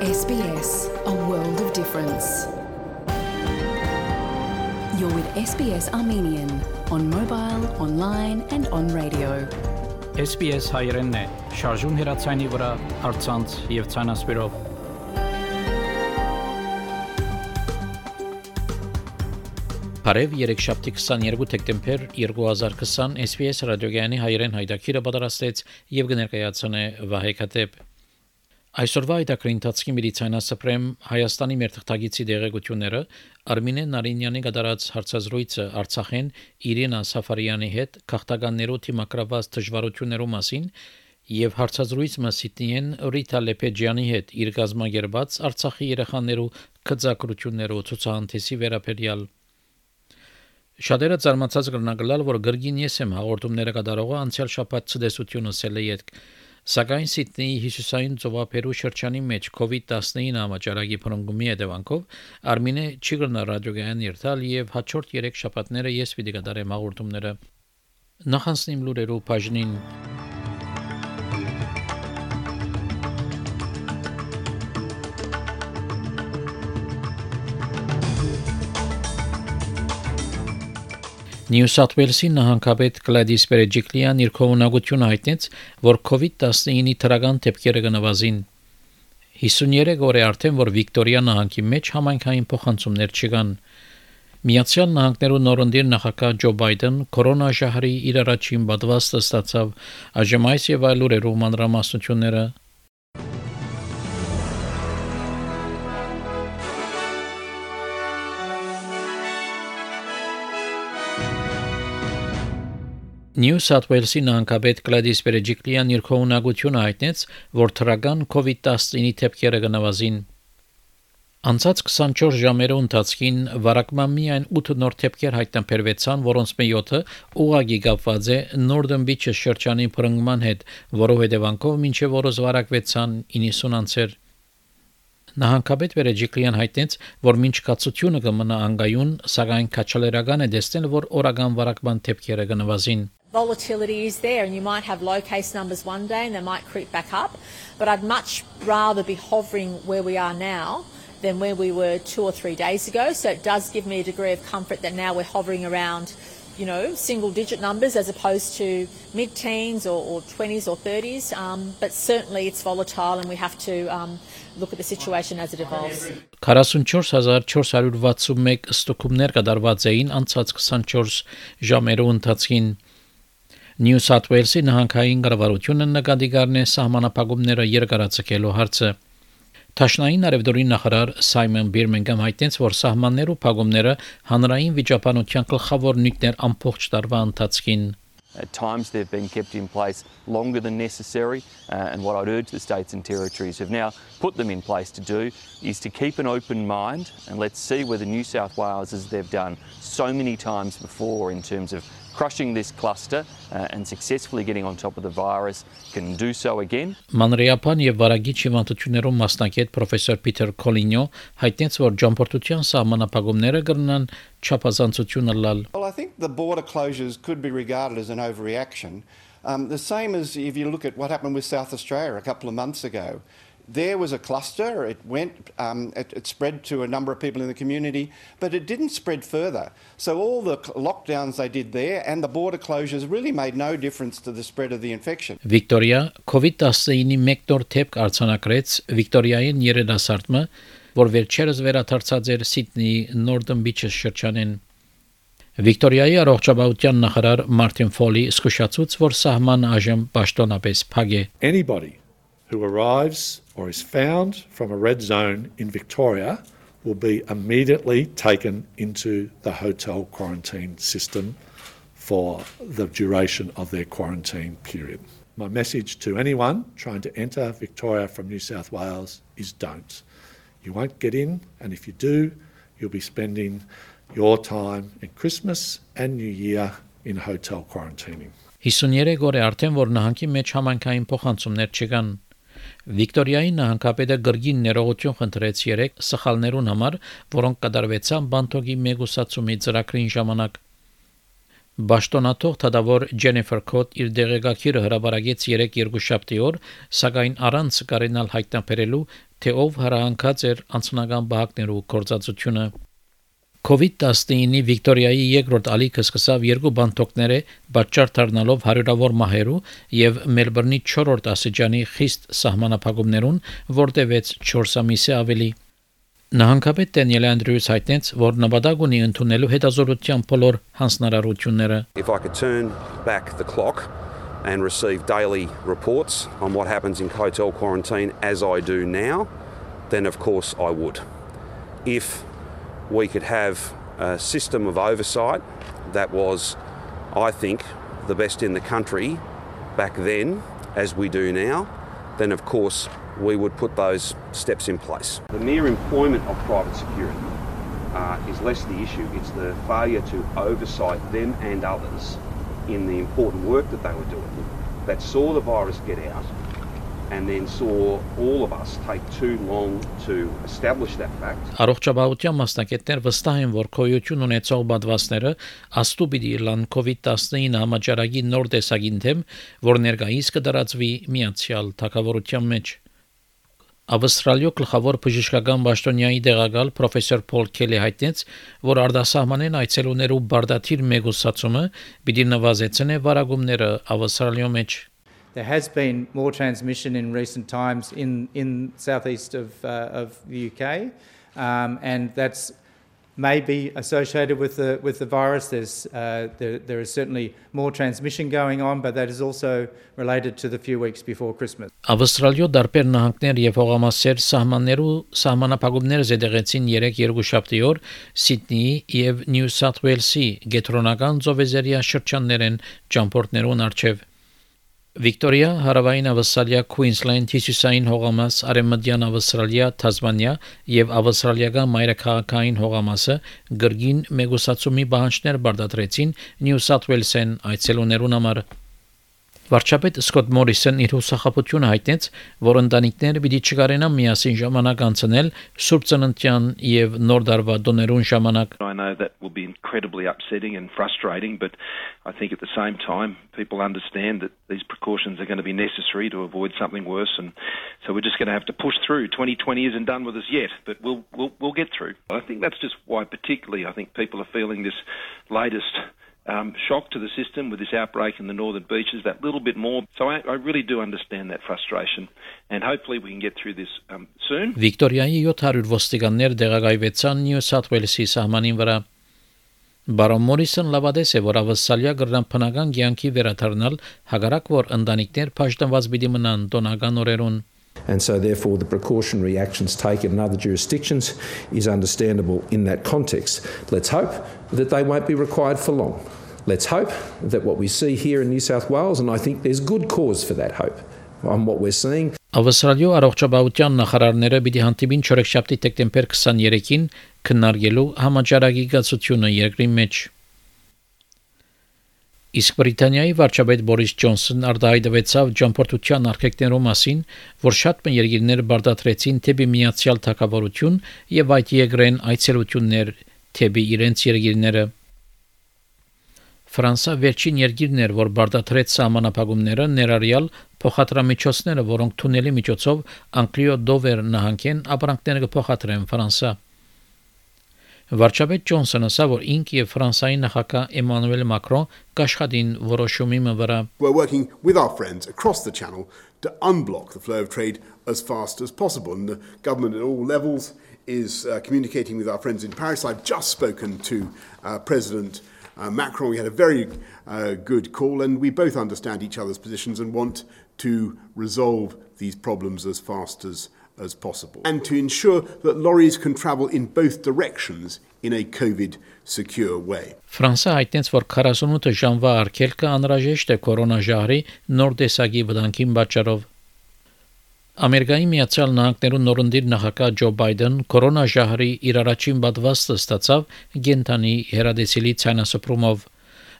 SBS, a world of difference. You're with SBS Armenian on mobile, online and on radio. SBS հայերենն է, շարժուն հեռացանի վրա, առցանց եւ ցանասպիրով։ Բարև երեքշաբթի 22 դեկտեմբեր 2020 SBS ռադիոգյանի հայերեն հայտակիրը պատրաստեց եւ կներկայացնե Վահե Քաթեփ։ Այսօրվա այդակրի ընթացքի միլիցիանասպրեմ Հայաստանի մերթղթագիտի դեղեցությունները Արմինե Նարինյանի կատարած հարցազրույցը Արցախեն Իրինա Սաֆարյանի հետ քաղաքականներու թիմակրաված դժվարություններու մասին եւ հարցազրույցը Սիդնիեն Ռիտա Լեպեջյանի հետ իր գազագերբած Արցախի երեխաներու քծակրություններու ցուցահանդեսի վերաբերյալ Շատերը զարմացած կրնագլալ, որ գրգին ես եմ հաղորդումները կատարողը անցյալ շաբաթ ցդեսությունը սելեյետ Սակայն Սիդնեի հյուսիսային ծովափերու շրջանի մեջ COVID-19 համաճարակի փրկումի հետևանքով Արմինե չի գտնա ռադիոգայան երթալ եւ հաջորդ 3 շաբաթները ես պիտի կատարեմ հաղորդումները նախանցնիմ լուրերու բաժնին Նյու Սաութ Ուելսի նահանգապետ Գլադիս Բերեջիկլիան իր քողունակությունը հայտնեց, որ COVID-19-ի թրական դեպքերը կնվազին։ 53 օր է արդեն, որ Վիկտորիա նահանգի մեջ համայնքային փոխանցումներ չկան։ Միացյալ Նահանգներու նորընտիր նախագահ Ջո Բայդեն կորոնաժահրի իր առաջին պատվաստը ստացավ, այժմ այս եւ այլ լուրերու մանրամասնությունները Նյու Սաութ Ուելսի նահանգապետ Գլադիս Բերեջիկլիան իր քողունակությունը հայտնեց, որ թրական COVID-19-ի դեպքերը կնվազին։ Անցած 24 ժամերու ընթացքին վարակման միայն 8 նոր դեպքեր հայտնաբերվեցան, որոնց 7-ը ուղղակի կապված է Northern Beaches շրջանի փրկման հետ, որով հետևանքով մինչև օրս վարակվեցան 90 անձեր։ Նահանգապետ Բերեջիկլիան հայտնեց, որ մինչ կացությունը կմնա անգայուն, սակայն քաչալերական է դեսնել, որ օրական վարակման դեպքերը կնվազին։ Volatility is there and you might have low case numbers one day and they might creep back up, but I'd much rather be hovering where we are now than where we were 2 or 3 days ago. So it does give me a degree of comfort that now we're hovering around, single digit numbers as opposed to mid-teens or 20s or 30s. But certainly it's volatile and we have to look at the situation as it evolves. 44461 ստուգումներ կատարված էին անցած 24 ժամերու ընթացքին։ Նյու Սաութ Ուելսի նահանգային կառավարությունը նկատի կառնե սահմանափակումները երկարաձգելու հարցը։ Տաշնային արևդորի նախարար Սայմոն Բիրմինգհամ հայտնեց, որ սահմաններու փակումները հանրային վիճապանության գլխավոր նյութեր ամբողջ տարվա ընթացքին At times they've been kept in place longer than necessary and what I'd urge the states and territories who've now put them in place to do is to keep an open mind and let's see whether New South Wales, as they've done so many times before in terms of crushing this cluster and successfully getting on top of the virus, can do so again. Մանրեապան եւ վարագիչ հիվանդություններով մասնակետ պրոֆեսոր Պիտեր Կոլինյո հայտնեց, որ ճամփորդության սահմանափակումները կրնան չափազանցություն լալ. Well, I think the border closures could be regarded as an overreaction. The same as if you look at what happened with South Australia a couple of months ago. There was a cluster, it spread to a number of people in the community, but it didn't spread further. So all the lockdowns they did there and the border closures really made no difference to the spread of the infection. Վիկտորիա COVID-19-ի մեկ նոր դեպք արձանագրեց Վիկտորիային երիտասարդը, որ վերջերս վերադարձած էր Սիդնեի Northern Beaches շրջանին։ Վիկտորիայի առողջապահության նախարար Մարտին Ֆոլի զսկուշացուց, որ սահմանը այժմ պաշտոնապես փակ է։ Anybody who arrives or is found from a red zone in Victoria will be immediately taken into the hotel quarantine system for the duration of their quarantine period. My message to anyone trying to enter Victoria from New South Wales is don't. You won't get in, and if you do, you'll be spending your time in Christmas and New Year in hotel quarantining. 53 օր է արդեն, որ նահանգի մեջ համայնքային փոխանցումներ չկան։ Վիկտորիայի նահանգապետը գրգին ներողություն խնդրեց 3 սխալներուն համար, որոնք կատարվեցան բանտոգի մեգուսացումի ծրագրին ժամանակ։ Բաշտոնաթող թադավոր Ջենիֆեր Քոտ իր դեղեկագիրը հրապարակեց 3-2 օր, սակայն առանց կարենալ հայտնաբերելու, թե ով հրահանգած էր անձնական բահակներու գործածությունը։ COVID-19-ի Վիկտորիայի երկրորդ ալիքը սկսավ 2 բանտոկները պատճառ դառնալով հարյուրավոր մահերու եւ Մելբուրնի 4-րդ աստիճանի խիստ սահմանափակումներուն, որտեղից 4 ամիսը ավելի։ Նահանգապետ Դենիել Անդրյուս հայտնեց, որ նպատակ ունի ընդունելու հետազոտության բոլոր հանձնարարությունները։ If I could turn back the clock and receive daily reports on what happens in hotel quarantine as I do now, then of course I would. If we could have a system of oversight that was, I think, the best in the country back then as we do now, then of course we would put those steps in place. The mere employment of private security is less the issue. It's the failure to oversight them and others in the important work that they were doing that saw the virus get out and then saw all of us take too long to establish that fact. Առողջապահության մասնակիցներ վստահ են, որ քոյություն ունեցող պատվաստները աստու պիտի լան COVID-19 համաճարակի նոր տեսակին թեմ, որ ներկայիս կդարածվի միացյալ թագավորության մեջ։ Ավստրալիո գլխավոր բժշկական պաշտոնյայի դեղակալ պրոֆեսոր Փոլ Քելի հայտնեց, որ արտասահմանեն այցելուներու բարդաթիր մեգուսացումը պիտի նվազեցնե վարակումները Ավստրալիո մեջ։ There has been more transmission in recent times in southeast of the UK, and that's maybe associated with the virus. There is certainly more transmission going on, but that is also related to the few weeks before Christmas. Ավստրալիո դարբեր նահանգներ եւ հողամասեր սահմանափակումներ զետեղեցին 3-2 օր Սիդնեի եւ Նյու Սաութ Ուելսի գետրոնական ծովեզերիա շրջաններեն ճամփորդներուն արչեւ։ Վիկտորիա, Հարավային Ավստրալիա, Քուինսլենդ, Հյուսիսային հողամաս, Արևմտյան Ավստրալիա, Թասմանիա եւ ավստրալիական մայրաքաղաքային հողամասը գրգին մեգուսացումի պահանջներ բարձրացրեցին Նյու Սաութ Ուելսեն այցելուներուն համար։ Վարչապետ Սկոտ Մորիսոն իր հուսախաբությունը հայտնեց, որ ընտանիքները պիտի չկարենան միասին ժամանակ անցնել Սուրբ Ծննդյան եւ Նոր Տարվա տոներուն ժամանակ։ I know that will be incredibly upsetting and frustrating, but I think at the same time people understand that these precautions are going to be necessary to avoid something worse, and so we're just going to have to push through. 2020 isn't done with us yet, but we'll get through. I think that's just why particularly I think people are feeling this latest shock to the system with this outbreak in the northern beaches that little bit more. So I really do understand that frustration, and hopefully we can get through this soon. Վիկտորիայի 700 ոստիկաններ դեղակայվեցան Նյու Սաութ Ուելսի սահմանին վրա։ Բարոն Մորիսոն լավադես է, որ ավստրալիա գրնապնական կյանքի վերադառնալ հագարակ որ ընտանիքներ պաշտպանված պիտի մնան տոնական օրերուն։ And so therefore the precautionary actions taken in other jurisdictions is understandable in that context. Let's hope that they won't be required for long. Let's hope that what we see here in New South Wales, and I think there's good cause for that hope on what we're seeing. Ավստրալիո առողջապահության նախարարները պիտի հանդիպին չորեքշաբթի դեկտեմբեր 23-ին քննարկելու համաճարակի գացությունը երկրի մեջ։ Իսկ Բրիտանիայի վարչապետ Բորիս Ջոնսոնն արտահայտվեցավ ճամփորդության արգելքներու մասին, որ շատ երկիրներ բարդացրեցին թեպի միացյալ թագավորություն եւ այդ երկրեն այցելություններ թեպի իրենց երկիրները։ Ֆրանսա վերջին երկիրն էր, որ բարդացրեց սահմանափակումները, ներառյալ փոխադրամիջոցները, որոնք թունելի միջոցով Անգլիո Դովեր նահանգեն ապրանքները կփոխադրեն Ֆրանսա։ Վարչապետ Ջոնսոնը ասա, որ ինք եւ Ֆրանսիայի նախագահ Էմանուել Մակրոն կաշխատին որոշումի վրա։ We're working with our friends across the channel to unblock the flow of trade as fast as possible, and the government at all levels is communicating with our friends in Paris. I've just spoken to President Macron. We had a very good call, and we both understand each other's positions and want to resolve these problems as fast as possible, and to ensure that lorries can travel in both directions in a COVID-secure way. Ֆրանսա հայտնեց, որ 48 ժամվա արգելքը անհրաժեշտ է կորոնաժահրի նոր տեսակի վտանգին պատճառով։ Ամերիկայի Միացյալ Նահանգներու նորընտիր նախագահ Ջո Բայդեն կորոնաժահրի իր առաջին պատվաստը ստացավ գենթանի հերադեսիլի ցանասպրումով։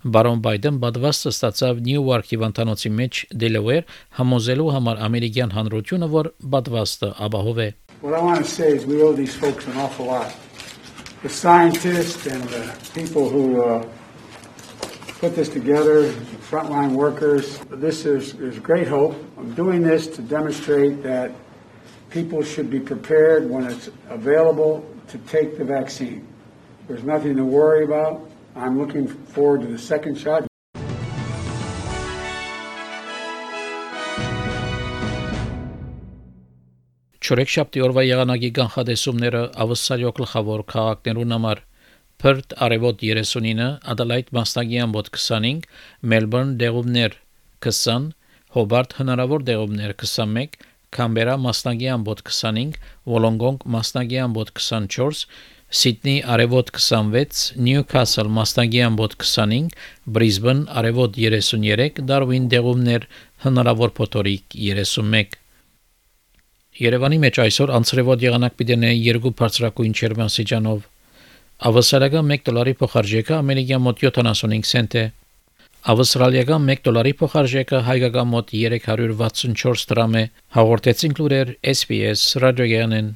Բարոն Բայդեն պատվաստը ստացավ Նյույորքի վանտանոցի մեջ Դելավեր համոզելու համար ամերիկյան հանրությունը, որ պատվաստը ապահով է։ What I want to say is we owe these folks an awful lot. The scientists and the people who put this together, frontline workers. This is great hope. I'm doing this to demonstrate that people should be prepared when it's available to take the vaccine. There's nothing to worry about. I'm looking forward to the second shot. Չորեքշաբթի օրվա եղանակի կանխատեսումները ավսալյո գլխավոր քաղաքներուն համար Perth արևոտ 39, Adelaide մասնագի ամբոտ 25, Melbourne դեղումներ 20, Hobart հնարավոր դեղումներ 21, Canberra մասնագի ամբոտ 25, Wollongong մասնագի ամբոտ 24, Sydney արևոտ 26, Newcastle մասնագի ամբոտ 25, Brisbane արևոտ 33, Darwin դեղումներ հնարավոր փոթորիկ 31 Երևանի մեջ այսօր անցրևոտ եղանակ պիտենե 2 բարձրակույն ջերմաստիճանով Ավստրալիական $1 փոխարժեքը ամերիկյան մոտ 75 سنت է Ավստրալիական $1 փոխարժեքը հայկական մոտ 364 դրամ է հաղորդեցին լուրեր SPS ռադիոյանեն